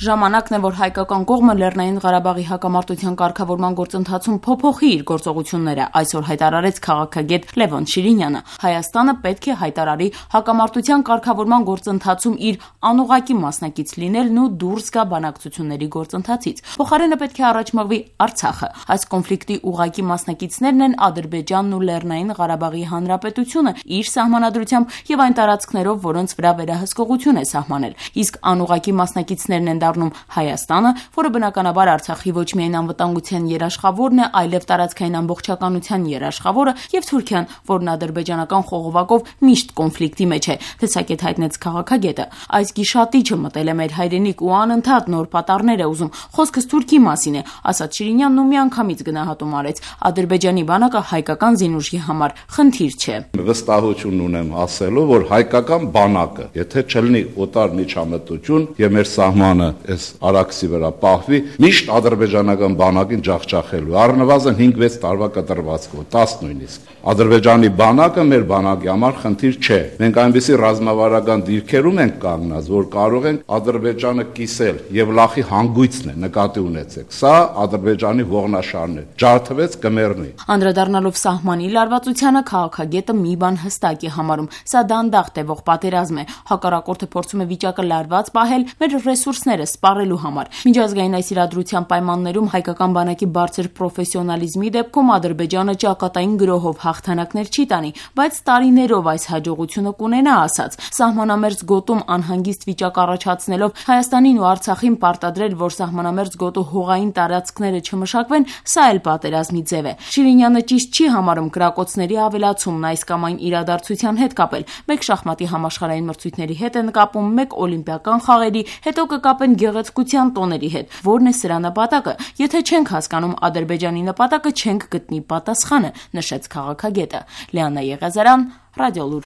Ժամանակն է, որ հայկական կողմը Լեռնային Ղարաբաղի հակամարտության կարգավորման գործընթացում փոփոխի իր գործողությունները, այսօր հայտարարեց քաղաքագետ Լևոն Շիրինյանը։ Հայաստանը պետք է հայտարարի հակամարտության կարգավորման գործընթացում իր անուղղակի մասնակից լինելն ու դուրս գա բանակցությունների գործընթացից։ Փոխարենը պետք է առաջ մղվի Արցախը։ Այս կոնֆլիկտի ուղղակի մասնակիցներն են Ադրբեջանն ու Լեռնային Ղարաբաղի Հանրապետությունը իր սահմանադրությամբ եւ այն տարածքներով, որոնց վրա վերահսկողություն է սահմանել։ Իսկ անուղղակի մասնակիցներն են դառնում Հայաստանը, որը բնականաբար Արցախի ոչ միայն անվտանգության երաշխավորն է, այլև տարածքային ամբողջականության երաշխավորը, եւ Թուրքիան, որն ադրբեջանական խողովակով միշտ կոնֆլիկտի մեջ է, տեսակետ հայտնեց քաղաքագետը։ Այս գիշատիչը մտել է մեր հայրենիք ու անընդհատ նոր պատառներ է ուզում։ Խոսքս Թուրքի մասին է, ասաց Շիրինյանն ու միանգամից գնահատում արեց. Ադրբեջանի բանակը հայկական զինուժի համար խնդիր չէ։ Վստահություն ունեմ ասելու, որ հայկական բանակը, եթե չլինի օտար միջամտություն եւ մեր սահմանը այս արաքսի վրա պահվի, միշտ ադրբեջանական բանակին ջախջախելու, առնվազն 5-6 տարվա կտրվածքով, 10 նույնիսկ։ Ադրբեջանի բանակը մեր բանակի համար խնդիր չէ։ Մենք այնպիսի ռազմավարական դիրքերում ենք կանգնած, որ կարող ենք Ադրբեջանը կիսել եւ լախի հանգույցն է, նկատի ունեցեք։ Սա Ադրբեջանի ողնաշարն է։ Ջարդվեց կմեռնի։ Անդրադառնալով սահմանի լարվածությանը, քաղաքագետը մի բան հստակ է համարում. սա դանդաղ տևող պատերազմ է։ Հակառակորդը փորձում է վիճակը լարված պահել մեր ռեսուրսները սպառելու համար։ Միջազգային այս իրադրության պայմաններում հայկական բանակի բարձր պրոֆեսիոնալիզմի դեպքում Ադրբեջանը ճակատային գրոհով հաղթանակներ չի տանի, բայց տարիներով այս հաջողությունը կունենա, ասաց։ Սահմանամերձ գոտում անհանգիստ վիճակ առաջացնելով Հայաստանին ու Արցախին պարտադրել, որ սահմանամերձ գոտու հողային տարածքները չմշակվեն, սա էլ պատերազմի ձև է։ Շիրինյանը ճիշտ չի համարում կրակոցների ավելացումն այս կամ այն իրադարձության հետ կապել։ Մեկ շախմատի համաշխարհային մրցույթների հետ են կապում, մեկ օլիմպիական խաղերի, հետո կկապեն գեղեցկության տոների հետ։ Որն է սրա նպատակը։ Եթե չենք հասկանում Ադրբեջանի նպատակը, չենք գտնի պատասխանը, նշեց քաղաքագետը։ Լիաննա Եղիազարյան, Ռադիոլուր։